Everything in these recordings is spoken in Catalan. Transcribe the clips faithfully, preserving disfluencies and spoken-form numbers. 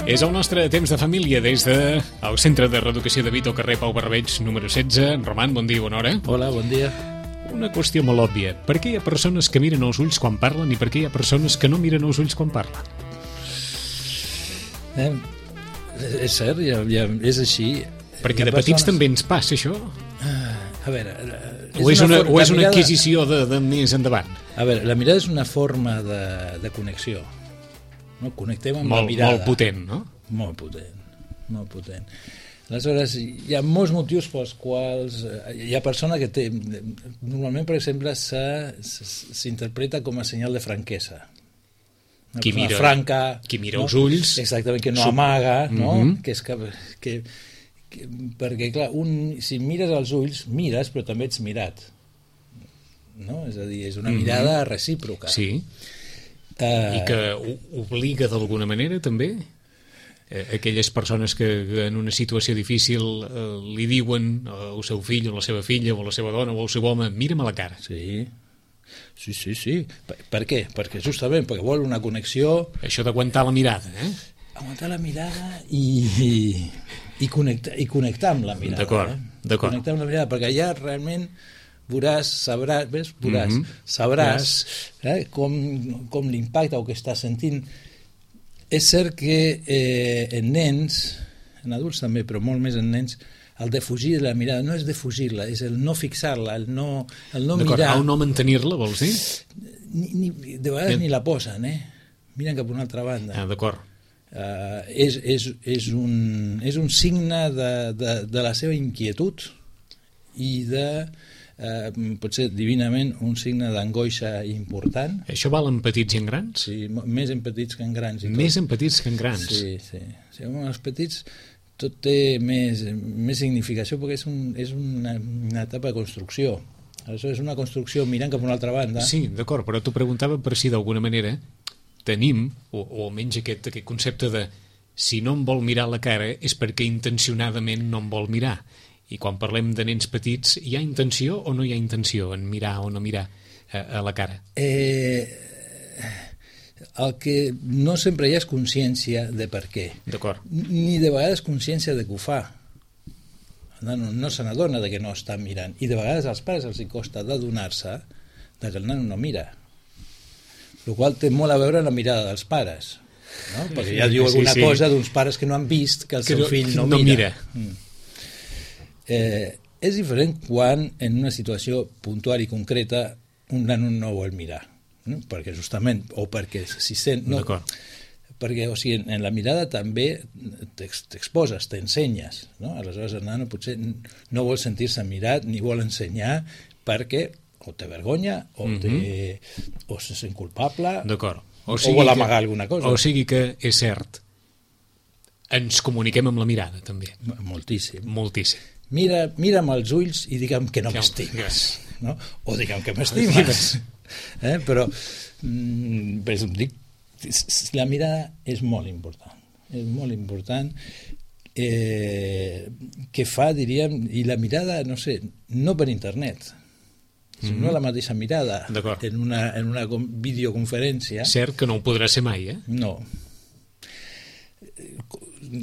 És el nostre temps de família des del Centre de Reeducació de Vic, al carrer Pau Barbereix, número setze. Roman, bon dia, bona hora. Hola, bon dia. Una qüestió molt òbvia. Per què hi ha persones que miren els ulls quan parlen i per què hi ha persones que no miren els ulls quan parlen? Eh, és cert, ja, ja és així. Perquè de persones... petits també ens passa això? A veure... És o és una, una, o és una mirada... adquisició de, de més endavant? A veure, la mirada és una forma de, de connexió. No? Connectem amb molt, la mirada. Molt potent, no? Molt potent, molt potent. Aleshores, hi ha molts motius pels quals... Hi ha persona que té... Normalment, per exemple, s'interpreta com a senyal de franquesa. Una qui mira, franca... Qui mira no? els ulls... Exactament, que no amaga, no? Mm-hmm. Que és que... que perquè, clar, un, si mires els ulls, mires, però també ets mirat. No? És a dir, és una mm-hmm. mirada recíproca. Sí. Uh, I que obliga d'alguna manera, també? Eh, aquelles persones que en una situació difícil eh, li diuen al seu fill o a la seva filla o a la seva dona o al seu home, mira'm a la cara. Sí. Sí, sí, sí. Per, per què? Perquè justament perquè vol una connexió... Això d'aguantar la mirada, eh? Aguantar la mirada i... i... I connectar, i connectar amb la mirada. D'acord, eh? d'acord. Connectar amb la mirada, perquè ja realment veuràs, sabràs, ves? Veuràs, mm-hmm. sabràs eh? com, com l'impacte o que estàs sentint. És cert que eh, en nens, en adults també, però molt més en nens, el defugir la mirada no és defugir-la, és el no fixar-la, el no, el no mirar. El no mantenir-la, vols dir? Ni, ni, de vegades Bien. Ni la posen, eh? Miren cap a una altra banda. Ah, d'acord. Uh, és, és, és, un, és un signe de, de, de la seva inquietud i de, uh, potser divinament, un signe d'angoixa important. Això val en petits i en grans? Sí, més en petits que en grans. I tot. Més en petits que en grans? Sí, sí. sí en els petits tot té més, més significació perquè és, un, és una, una etapa de construcció. Aleshores és una construcció mirant cap a una altra banda. Sí, d'acord, però t'ho preguntava per si d'alguna manera tenim, o, o almenys aquest, aquest concepte de si no em vol mirar la cara és perquè intencionadament no em vol mirar. I quan parlem de nens petits, hi ha intenció o no hi ha intenció en mirar o no mirar a, a la cara? Eh, el que no sempre hi ha és consciència de per què. D'acord. Ni de vegades consciència de que ho fa. El nano no se n'adona de que no està mirant. I de vegades als pares els costa d'adonar-se de que el nano no mira. El qual té molt a veure amb la mirada dels pares, no? Perquè ja diu alguna sí, sí. cosa d'uns pares que no han vist que el que seu no, fill no, no mira. mira. Mm. Eh, és diferent quan en una situació puntual i concreta un nano no vol mirar, no? Perquè justament, o perquè s'hi sent... No, perquè, o sigui, en, en la mirada també t'exposes, t'ensenyes, no? Aleshores el nano potser no vol sentir-se mirat ni vol ensenyar perquè o té vergonya, o, té, mm-hmm. o se sent culpable, o, o vol amagar que, alguna cosa. O sigui que és cert, ens comuniquem amb la mirada, també. Moltíssim. Moltíssim. Mira, mira'm els ulls i digue'm que no que m'estimes. No? O digue'm que m'estimes. eh? Però, mm, però dic, la mirada és molt important. És molt important. Eh, que fa, diríem, i la mirada, no sé, no per internet, Mm-hmm. no la mateixa mirada en una, en una videoconferència. Cert que no ho podrà ser mai, eh? No.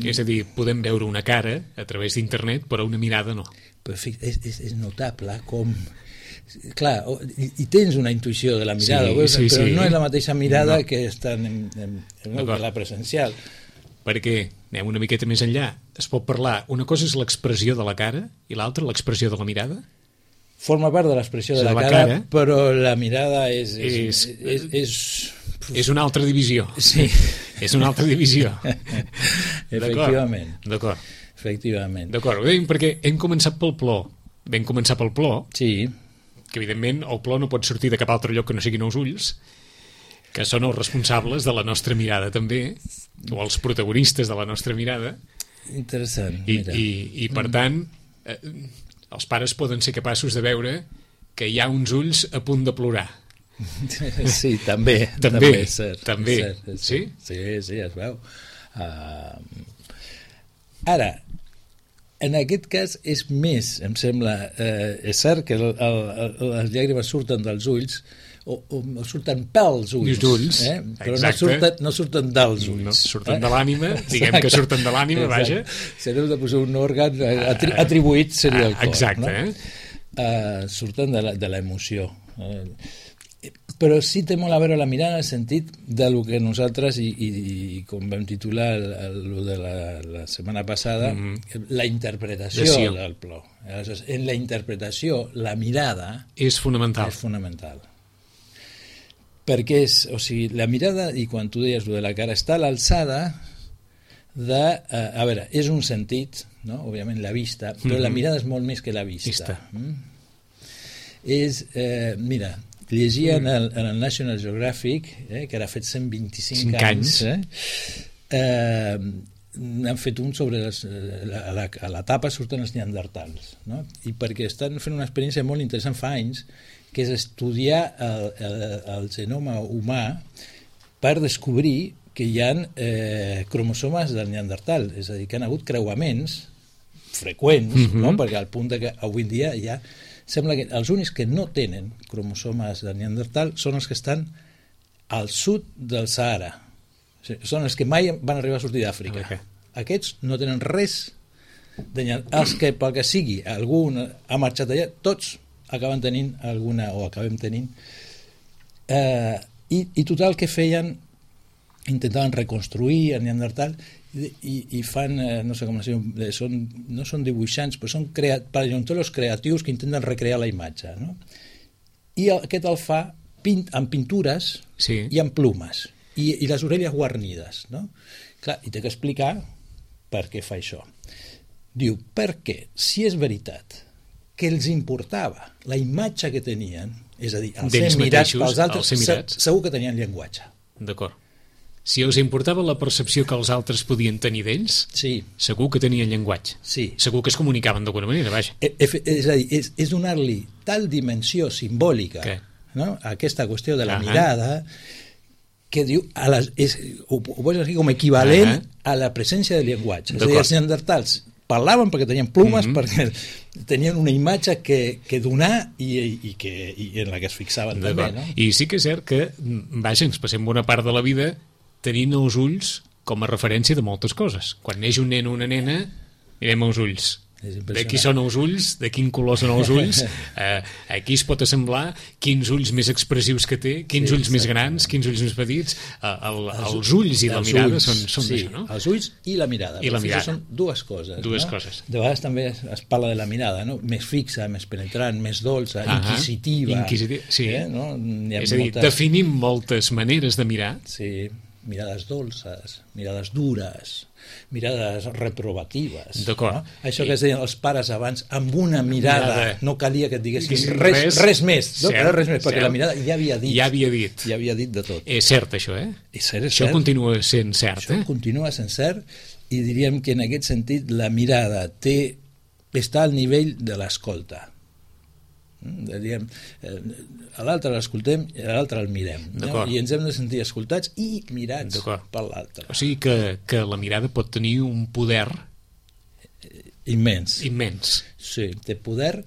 És a dir, podem veure una cara a través d'internet, però una mirada no. Però és, és, és notable com... Clar, i, i tens una intuïció de la mirada, sí, veus? Sí, però sí. No és la mateixa mirada no. que està en, en, en, en la presencial. Perquè, anem una miqueta més enllà, es pot parlar, una cosa és l'expressió de la cara i l'altra l'expressió de la mirada? Forma part de l'expressió de la, la cara, cara, però la mirada és... És, és, és, és, és una altra divisió. Sí. És una altra divisió. Efectivament. D'acord. Efectivament. D'acord, ho dèiem perquè hem començat pel plor. Vam començar pel plor, sí. que evidentment el plor no pot sortir de cap altre lloc que no siguin els ulls, que són els responsables de la nostra mirada també, o els protagonistes de la nostra mirada. Interessant, I, mira. I, i per tant... Eh, els pares poden ser capaços de veure que hi ha uns ulls a punt de plorar. Sí, també. També, també és cert. També. És cert, és sí? Sí, sí, es veu. Uh, ara, en aquest cas és més, em sembla, eh, és cert que el, el, el, les llàgrimes surten dels ulls, o, o, o surten pels ulls, els ulls, eh? Però no surten, no surten dels ulls. No, surten eh? de l'ànima, diguem que surten de l'ànima, vaja. Si n'heu de posar un òrgan atri atribuït seria el cor. Exacte, no? eh? Uh, surten de l'emoció. Uh, però sí té molt a veure la mirada en el sentit de lo que nosaltres, i, i, i com vam titular el, el, de la, la setmana passada, mm -hmm. la interpretació sí. del plor. Aleshores, en la interpretació, la mirada és fonamental. És fonamental. Perquè és, o sigui, la mirada, i quan tu deies lo de la cara, està a l'alçada de, uh, a veure, és un sentit, no? Òbviament la vista, però mm -hmm. la mirada és molt més que la vista. vista. Mm? És, eh, mira, llegia en el, en el National Geographic, eh, que ara ha fet cent vint-i-cinc anys, eh, eh, han fet un sobre les, a, la, a la tapa surten els neandertals, no? I perquè estan fent una experiència molt interessant fa anys, que és estudiar el, el, el genoma humà per descobrir que hi ha eh, cromosomes del neandertal, és a dir, que han hagut creuaments freqüents, mm-hmm. no? Perquè al punt de que avui en dia ja sembla que els únics que no tenen cromosomes de neandertal són els que estan al sud del Sahara. O sigui, són els que mai van arribar a sortir d'Àfrica. Okay. Aquests no tenen res de neandertal. Els que, pel que sigui, algun ha marxat allà, tots acaben tenint alguna, o acabem tenint. Eh, i, I total, que feien? Intentaven reconstruir el neandertal i, i fan, eh, no sé com es diu, són, no són dibuixants, però són crea, paleontòlegs creatius que intenten recrear la imatge, no? I aquest el fa pint, amb pintures sí. i amb plumes, i, i les orelles guarnides, no? Clar, i té que explicar per què fa això. Diu, perquè si és veritat que els importava la imatge que tenien, és a dir, els ser mirats pels altres, se, segur que tenien llenguatge. D'acord. Si us importava la percepció que els altres podien tenir d'ells, sí. segur que tenien llenguatge. Sí. Segur que es comunicaven d'alguna manera, vaja. E, e, és a dir, és, és donar-li tal dimensió simbòlica, no? A aquesta qüestió de la uh -huh. mirada, que diu, a les, és, ho, ho pots dir com equivalent uh -huh. a la presència del llenguatge. És a dir, els neandertals parlaven perquè tenien plumes, uh -huh. perquè tenien una imatge que, que donar i, i, que, i en la que es fixaven també, no? I sí que és cert que, vaja, ens passem bona part de la vida tenint els ulls com a referència de moltes coses. Quan neix un nen o una nena, mirem els ulls. De qui són els ulls, de quin color són els ulls, eh, aquí es pot assemblar quins ulls més expressius que té, quins sí, ulls més grans, quins ulls més petits, eh, el, els, els ulls i la mirada ulls, són, són sí, això, no? Els ulls i la mirada. I la mirada. Són dues coses. Dues no? coses. De vegades també es parla de la mirada, no? Més fixa, més penetrant, més dolça, uh-huh. inquisitiva. Inquisitiva, sí. Eh? No? És a dir, moltes... definim moltes maneres de mirar. Sí, mirades dolces, mirades dures, mirades reprovatives. D'acord. No? Això que es deien els pares abans, amb una mirada, mirada. No calia que et diguessin res, res, res més, no? Cert, res més, perquè cert. La mirada ja havia dit. Ja havia dit. Ja havia dit de tot. És cert, això, eh? És cert, és això cert. continua sent cert, això eh? continua sent cert, i diríem que en aquest sentit la mirada té, està al nivell de l'escolta. Diríem, a l'altre l'escoltem i a l'altre el mirem, no? I ens hem de sentir escoltats i mirats per l'altre. O sigui que, que la mirada pot tenir un poder immens. Immens. Sí, té poder.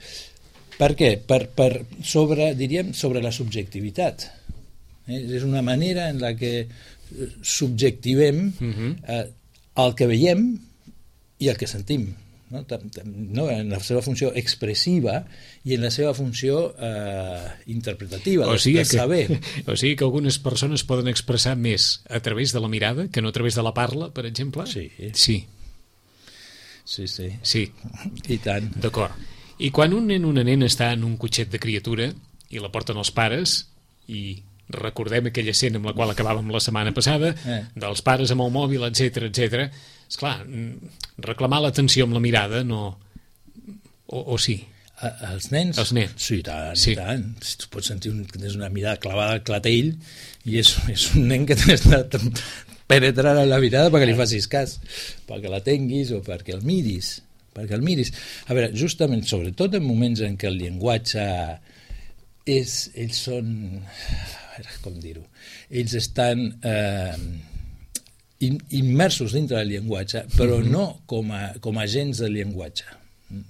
Per què? Per, per sobre, diríem, sobre la subjectivitat. Eh? És una manera en la que subjectivem uh-huh. eh, el que veiem i el que sentim. No? No, en la seva funció expressiva i en la seva funció eh, interpretativa, o sigui de saber. Que, o sigui que algunes persones poden expressar més a través de la mirada que no a través de la parla, per exemple? Sí. Sí. Sí, sí. Sí. I tant. D'acord. I quan un nen o una nena està en un cotxet de criatura i la porten els pares, i recordem aquella escena amb la qual acabàvem la setmana passada, eh. dels pares amb el mòbil, etcètera, etcètera, esclar, reclamar l'atenció amb la mirada no... O, o sí? A, els nens? Els nens. Sí, tant, sí. tant. Tu pots sentir un, que tens una mirada clavada al clatell i és, és un nen que t'has de penetrar en la mirada perquè li facis cas, perquè la tinguis o perquè el miris. Perquè el miris. A veure, justament, sobretot en moments en què el llenguatge és... Ells són... A veure, com dir-ho? Ells estan... Eh, immersos dintre del llenguatge, però mm-hmm. no com a, com a agents del llenguatge.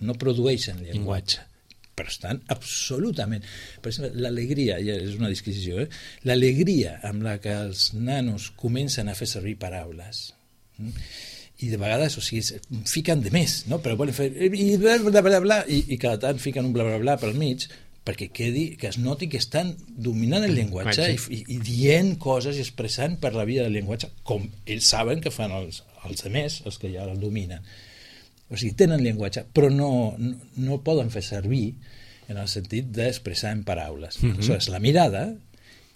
No produeixen llenguatge. però estan absolutament... Per exemple, l'alegria, ja és una disquisició, eh? L'alegria amb la que els nanos comencen a fer servir paraules, i de vegades, o sigui, fiquen de més, no? Però volen fer... i bla, bla, bla, bla, i, i cada tant fiquen un bla, bla, bla pel mig, perquè quedi, que es noti que estan dominant el llenguatge i, i, i dient coses i expressant per la via del llenguatge, com ells saben que fan els, els altres, els que ja el dominen. O sigui, tenen llenguatge, però no, no, no poden fer servir en el sentit d'expressar en paraules. Mm-hmm. Aleshores, la mirada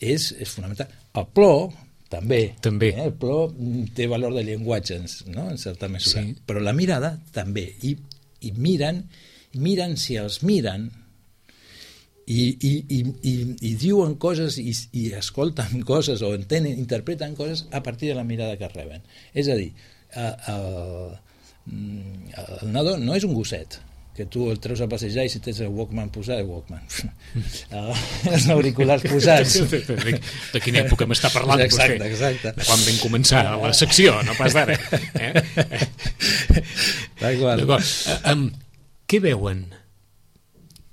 és, és fonamental. El plor, també. també. Eh? El plor té valor de llenguatge, no? En certa mesura. Sí. Però la mirada també. I, i miren, miren si els miren, i, i, i, i, i diuen coses i, i escolten coses o entenen, interpreten coses a partir de la mirada que reben. És a dir, el, el, el nadó no és un gosset que tu el treus a passejar i si tens el Walkman posat, el Walkman els auriculars posats. De quina època m'està parlant exacte, vostè? Exacte. De quan vam començar la secció, no pas d'ara. Eh? D'acord. Um, què veuen?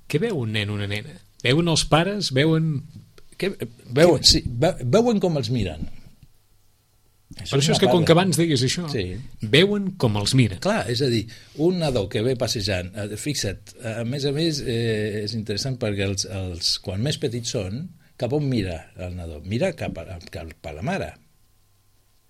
Què veu un nen o una nena? Veuen els pares? Veuen... Què, veuen, sí, veuen com els miren. Això per això és que, com que abans deies això, sí. Veuen com els miren. Clar, és a dir, un nadó que ve passejant, fixa't, a més a més eh, és interessant perquè els, els, quan més petits són, cap on mira el nadó? Mira cap a, cap a la mare.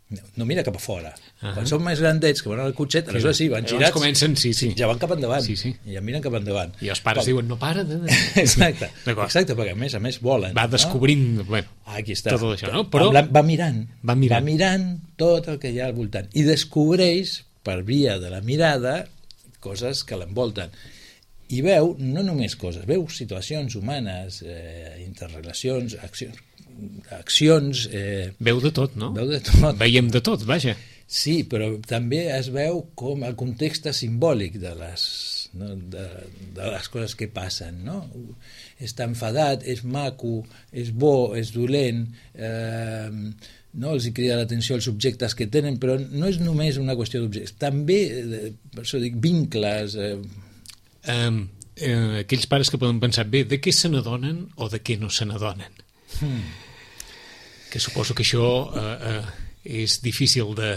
No, no mira cap a fora. Uh-huh. Quan són més grandets, que van al cotxet, aleshores sí, van girats, comencen, sí, sí. ja van cap endavant, sí, sí. i ja miren cap endavant. I els pares Però... diuen, no para de... exacte, exacte, perquè a més a més volen. Va descobrint, no? bueno, aquí està. Tot això, no? Però... Va mirant, va mirant, va mirant tot el que hi ha al voltant, i descobreix, per via de la mirada, coses que l'envolten. I veu, no només coses, veu situacions humanes, eh, interrelacions, accions, accions... Eh, veu de tot, no? Veu de tot. Veiem de tot, vaja. Sí, però també es veu com el context simbòlic de les, no? de, de les coses que passen, no? Està enfadat, és maco, és bo, és dolent, eh, no? Els hi crida l'atenció els objectes que tenen, però no és només una qüestió d'objectes, també, per això dic, vincles... Eh, Um, eh, aquells pares que poden pensar, bé, de què se n'adonen o de què no se n'adonen? Hmm. Que suposo que això eh, eh, és difícil de...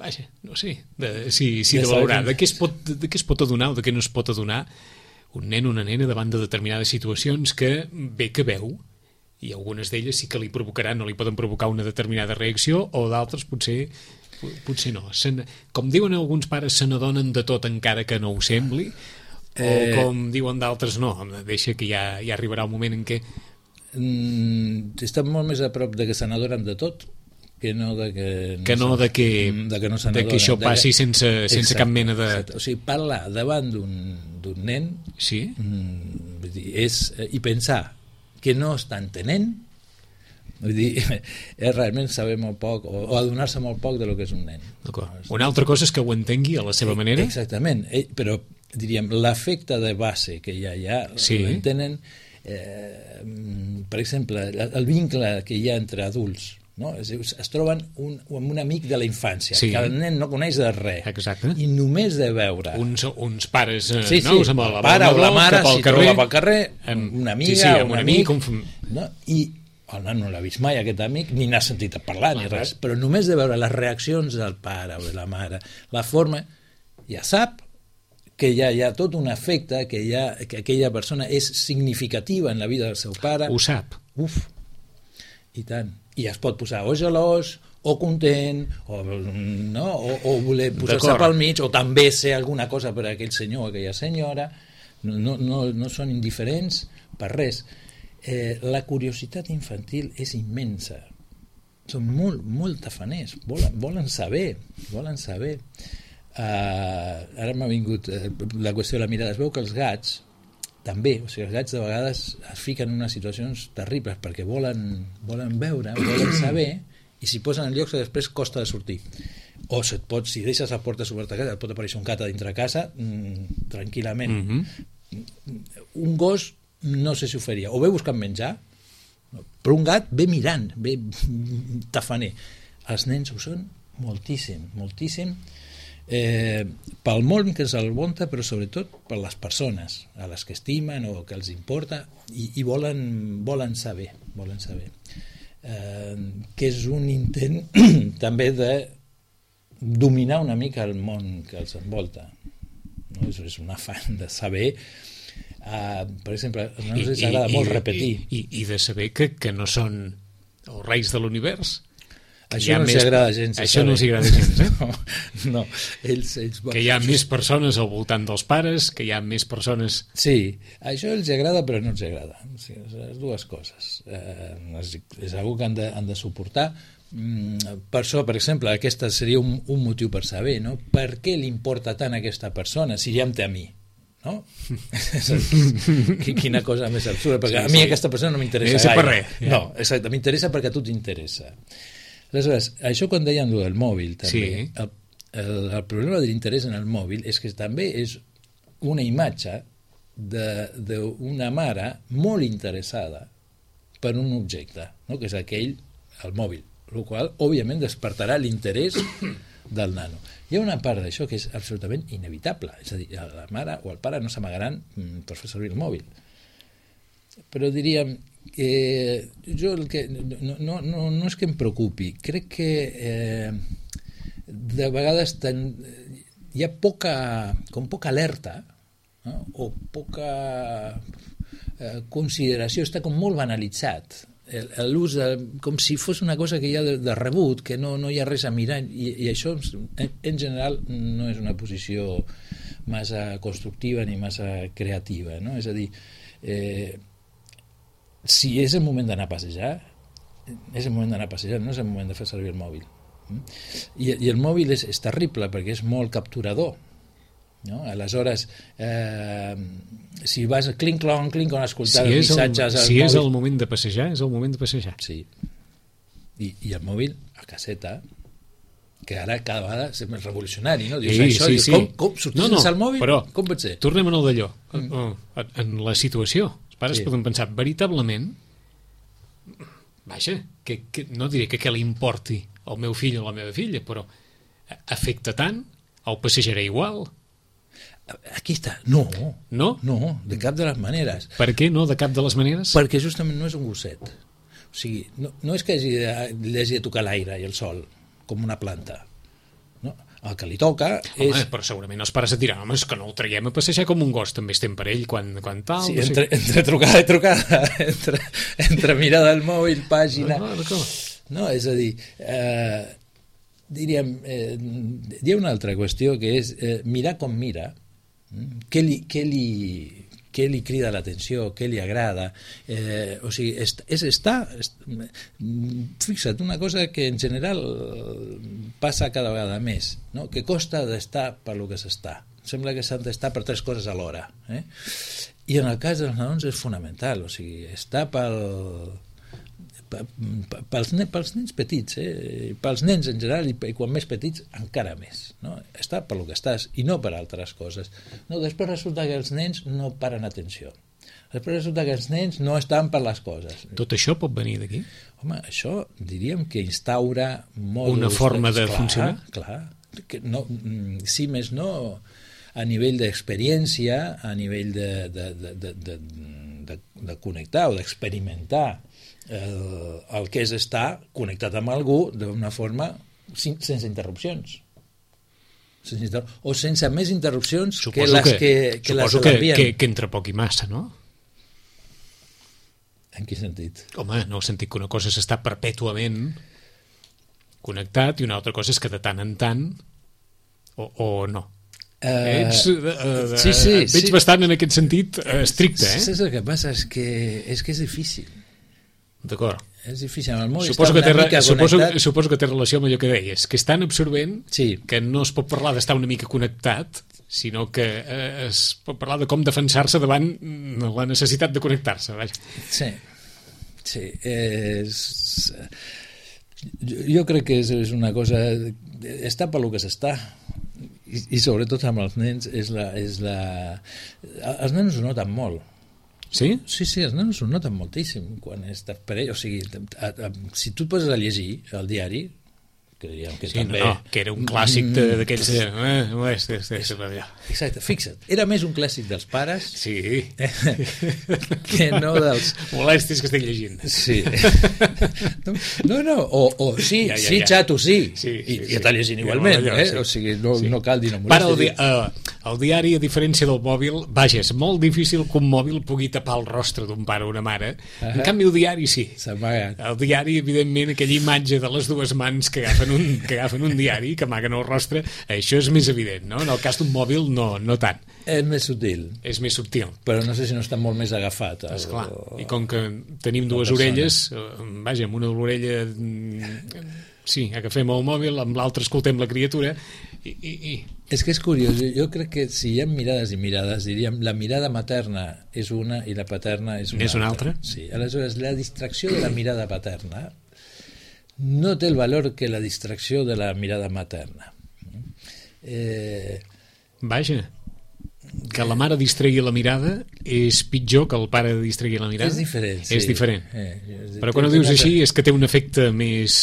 Vaja, no sé, de, sí, sí, de valorar. De què, es pot, de què es pot adonar o de què no es pot adonar un nen o una nena davant de determinades situacions que bé que veu, i algunes d'elles sí que li provocaran o li poden provocar una determinada reacció, o d'altres potser... potser no. Sen, com diuen alguns pares, se n'adonen de tot encara que no ho sembli, eh... o com diuen d'altres, no, deixa que ja, ja arribarà el moment en què... Mm, estan molt més a prop de que se n'adonen de tot que no de que... No que no de que, de que, no de que això passi que... sense, sense exacte, cap mena de... Exacte. O sigui, parlar davant d'un nen sí? mm, vull dir, és, i pensar que no està entenent, vull dir, és realment saber molt poc o, o adonar-se molt poc de lo que és un nen. Una altra cosa és que ho entengui a la seva manera. Exactament, però diríem, l'efecte de base que ja hi ha, sí. l'entenen, eh, per exemple, el vincle que hi ha entre adults, no? Es, es troben un, un amic de la infància, sí. que el nen no coneix de res. Exacte. I només de veure... Uns, uns pares eh, sí, sí. nous amb el, el pare o la mare s'hi troba pel carrer, amb, una amiga sí, sí, o un amic, un... no? I el nen no l'ha vist mai, aquest amic, ni n'ha sentit a parlar, ni res, però només de veure les reaccions del pare o de la mare, la forma, ja sap que ja hi ha tot un efecte, que, ha, que aquella persona és significativa en la vida del seu pare. Ho sap. Uf, i tant. I es pot posar o gelós, o content, o, no? o, o voler posar-se pel mig, o també ser alguna cosa per a aquell senyor o aquella senyora. No, no, no, no són indiferents per res. Eh, la curiositat infantil és immensa. Són molt, molt tafaners. Volen, volen saber, volen saber. Uh, ara m'ha vingut uh, la qüestió de la mirada. Es veu que els gats també, o sigui, els gats de vegades es fiquen en unes situacions terribles perquè volen, volen veure, volen saber, i s'hi posen en llocs que després costa de sortir. O se't pot, si deixes la porta oberta a casa, et pot aparèixer un gat a dintre casa mm, tranquil·lament. Mm-hmm. Un gos no sé si ho faria, o ve buscant menjar, però un gat ve mirant, ve tafaner. Els nens ho són moltíssim, moltíssim. eh, pel món que se'l volta, però sobretot per les persones a les que estimen o que els importa i, i volen, volen saber, volen saber. Eh, que és un intent també de dominar una mica el món que els envolta, no? És, és un afany de saber. Uh, per exemple, a nosaltres ens agrada molt repetir i, i, i de saber que, que no són els reis de l'univers. Això no els agrada gens, això no els agrada gens, eh? no, no. Ells, ells... que hi ha més persones al voltant dels pares, que hi ha més persones... Sí, això els agrada però no els agrada, o sigui, les dues coses, eh, és, és una que han de, han de suportar. Per això, per exemple, aquest seria un, un motiu per saber, no? Per què li importa tant a aquesta persona si ja em té a mi, no? Quina cosa més absurda, perquè sí, a mi sí. aquesta persona no m'interessa gaire. Per res, ja. No, exacte, m'interessa perquè a tu t'interessa. Aleshores, això quan deien del mòbil també, sí. el, el, el problema de l'interès en el mòbil és que també és una imatge d'una mare molt interessada per un objecte, no? Que és aquell, el mòbil, el qual, òbviament, despertarà l'interès del nano. Hi ha una part d'això que és absolutament inevitable, és a dir, la mare o el pare no s'amagaran per fer servir el mòbil. Però diríem, eh, jo el que, no, no, no, no és que em preocupi, crec que eh, de vegades ten, hi ha poca, com poca alerta, no? O poca eh, consideració, està com molt banalitzat l'ús, com si fos una cosa que hi ha de, de rebut, que no, no hi ha res a mirar, i, i això en, en general no és una posició massa constructiva ni massa creativa, no? És a dir, eh, si és el moment d'anar a passejar, és el moment d'anar a passejar, no és el moment de fer servir el mòbil. I, i el mòbil és, és terrible perquè és molt capturador, no? Aleshores, eh, si vas a clinc-clon, clinc-clon a escoltar si els missatges el, si mòbil... és el moment de passejar, és el moment de passejar. Sí. I, i el mòbil a caseta, que ara cada vegada és més revolucionari, no? Dius, sí, això, sí, dius, sí. Com, com sortir no, no, sense el mòbil? Però, com pot ser? Tornem a el d'allò. Mm. En, en la situació, els pares sí. poden pensar, veritablement, vaja, que, que, no diré que què li importi al meu fill o a la meva filla, però afecta tant, el passejaré igual. Aquí està. No, no, no, de cap de les maneres. Per què no, de cap de les maneres? Perquè justament no és un gosset. O sigui, no, no és que hagi de, li hagi de tocar l'aire i el sol, com una planta. No? El que li toca home, és... Però segurament els pares et diran, home, és que no el traiem a passejar com un gos, també estem per ell quan, quan tal... Sí, no entre, sé. entre trucada i trucada, entre, entre mirada al mòbil, pàgina... No, no, no, és a dir... Eh, diríem, eh, hi ha una altra qüestió que és eh, mirar com mira. Què li, què li, què li crida l'atenció, què li agrada, eh, o sigui, és, és estar, és, fixa't, una cosa que en general passa cada vegada més, no? Que costa d'estar per lo que s'està. Sembla que s'han d'estar per tres coses alhora. Eh? I en el cas dels nadons és fonamental, o sigui, estar pel... Pels, pels nens petits, eh? Pels nens en general i, i quan més petits encara més, no? Està per lo que estàs i no per altres coses. No, després resulta que els nens no paren atenció, després resulta que els nens no estan per les coses. Tot això pot venir d'aquí? Home, això diríem que instaura mòduls, una forma de clar, funcionar? Clar, que no, si més no a nivell d'experiència, a nivell de, de, de, de, de, de, de connectar o d'experimentar El, el que és estar connectat amb algú d'una forma sin, sense interrupcions sense inter... o sense més interrupcions suposo que les que, que, que suposo les que, que, que entre poc i massa, no? En quin sentit? Home, no, el sentit que una cosa s'està perpètuament connectat i una altra cosa és que de tant en tant o, o no. Uh, Ets, uh, uh, sí, sí, et veig sí. bastant en aquest sentit uh, estricte, eh? Saps el que passa? És que és, que és difícil. D'acord. És difícil, amb el mòbil suposo està que una té, mica suposo, connectat. Suposo que té relació amb allò que deies, que és tan absorbent sí. que no es pot parlar d'estar una mica connectat, sinó que eh, es pot parlar de com defensar-se davant la necessitat de connectar-se. Vaja. Sí, sí. És... Jo, jo crec que és, és una cosa... Està per lo que s'està. I, i sobretot amb els nens és la, és la... Els nens ho noten molt. Sí? Sí, sí, els nanos ho noten moltíssim quan estàs per ell, o sigui, a, a, si tu et poses a llegir el diari, que diríem que sí, també... No, no, que era un clàssic d'aquells... De... Eh, no és, és, és, exacte, fixa't, era més un clàssic dels pares sí. que no dels... Molèsties que estic llegint. Sí. No, no, o, o sí, ja, ja, sí, ja. Xato, sí, sí, sí, i, sí. I està llegint igualment, allò, eh? Sí. O sigui, no, sí. no cal dir no molèsties. El, di uh, el diari, a diferència del mòbil, vaja, és molt difícil que un mòbil pugui tapar el rostre d'un pare o una mare. Uh -huh. En canvi, el diari sí. El diari, evidentment, aquella imatge de les dues mans que agafen un, que agafen un diari, que amaguen el rostre, això és més evident, no? En el cas d'un mòbil, no, no tant. És més subtil. És més subtil. Però no sé si no està molt més agafat. El, Esclar. I com que tenim dues orelles, vaja, amb una de l'orella sí, agafem el mòbil, amb l'altra escoltem la criatura i, i, i... És que és curiós, jo crec que si hi ha mirades i mirades, diríem, la mirada materna és una i la paterna és una, és una altra. altra. Sí, aleshores, la distracció de la mirada paterna no té el valor que la distracció de la mirada materna. Eh... Vaja, que la mare distregui la mirada és pitjor que el pare distregui la mirada? És diferent, sí. És diferent. Eh, Però quan ho dius així és que té un efecte més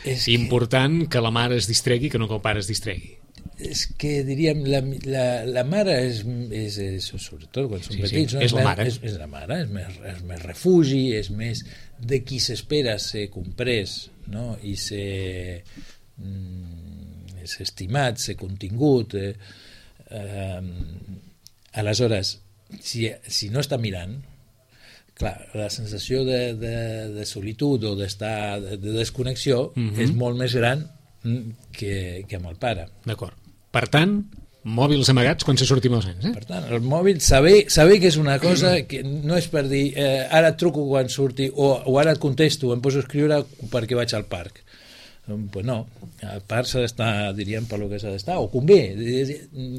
és important que... que la mare es distregui que no que el pare es distregui. És que diríem la, la, la mare és, és, és sobretot quan són sí, petits, sí. no? és, la mare. És, és la mare, és més, és més refugi, és més de qui s'espera ser comprès, no? I ser, mm, ser estimat, ser contingut. Eh, eh, aleshores, si, si no està mirant, clar, la sensació de, de, de solitud o d'estar de, de desconnexió mm-hmm. és molt més gran que, que amb el pare. D'acord. Per tant, mòbils amagats quan se sortim els nens, eh? Per tant, el mòbil, saber, saber que és una cosa que no és per dir eh, ara et truco quan surti o, o ara et contesto, em poso a escriure perquè vaig al parc. Pues no, al parc s'ha d'estar, diríem, per lo que s'ha d'estar, o convé,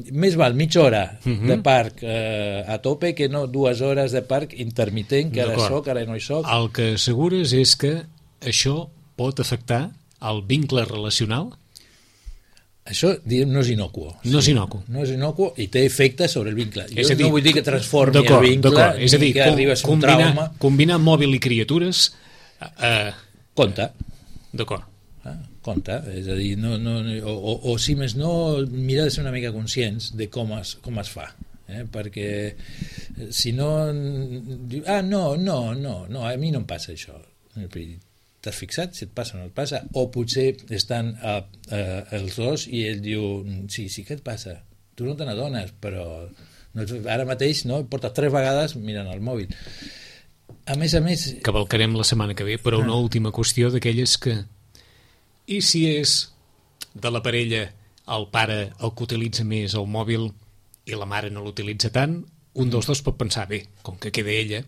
més val mitja hora uh-huh. de parc eh, a tope que no dues hores de parc intermitent, que ara soc, ara no hi soc. El que assegures és que això pot afectar el vincle relacional? Això, diguem, no és inocuo. No és inocuo. No és inocuo i té efecte sobre el vincle. Jo dir, no vull dir que transformi el vincle és a dir, ni que arribes a un combinar, trauma. Combinar mòbil i criatures... Eh, compte. D'acord. Ah, compte. És a dir, no, no, o, o, o si més no, mira de ser una mica conscients de com es, com es fa. Eh? Perquè si no... Ah, no, no, no, no, a mi no em passa això. T'has fixat si et passa o no et passa? O potser estan a, a, els dos i ell diu sí, sí que et passa, tu no te n'adones però no, ara mateix no, portes tres vegades mirant el mòbil. A més a més... Cavalcarem la setmana que ve, però una ah. última qüestió d'aquelles que i si és de la parella el pare el que utilitza més el mòbil i la mare no l'utilitza tant, un dels dos pot pensar, bé, com que queda ella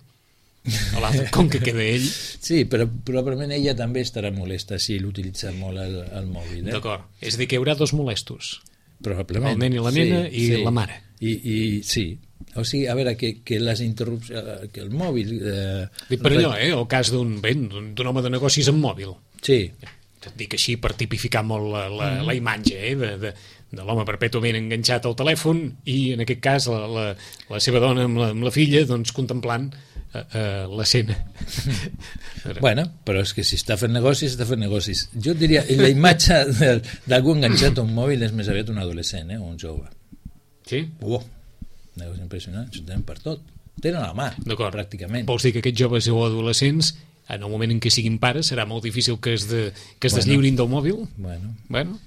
o l'altre, com que queda ell. Sí, però probablement ella també estarà molesta si l'utilitza molt el, el mòbil. Eh? D'acord, és a dir que hi haurà dos molestos. Probablement. El nen i la nena sí, i sí. la mare. I, i sí, o sigui, a veure, que, que les interrupcions, que el mòbil... Eh, Dic per allò, eh, el cas d'un d'un home de negocis amb mòbil. Sí. Et dic així per tipificar molt la, la, mm. la imatge, eh, de... de de l'home perpètuament enganxat al telèfon i en aquest cas la, la, la seva dona amb la, amb la filla doncs contemplant uh, uh, l'escena. Bueno, però és que si està fent negocis, està fent negocis. Jo diria, la imatge d'algú enganxat a un mòbil és més aviat un adolescent, eh, o un jove. Sí? Oh, negocis impressionants, ho tenen per tot. Ho tenen a la mà, pràcticament. Vols dir que aquests joves o adolescents en el moment en què siguin pares serà molt difícil que es, de, que es bueno, deslliurin del mòbil? Bueno. Bueno,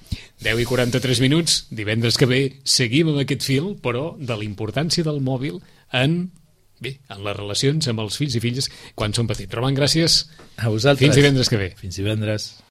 deu i quaranta-tres minuts, divendres que ve seguim amb aquest fil, però de la importància del mòbil en, bé, en les relacions amb els fills i filles quan són petits. Roman, gràcies. A vosaltres. Fins divendres que ve. Fins divendres.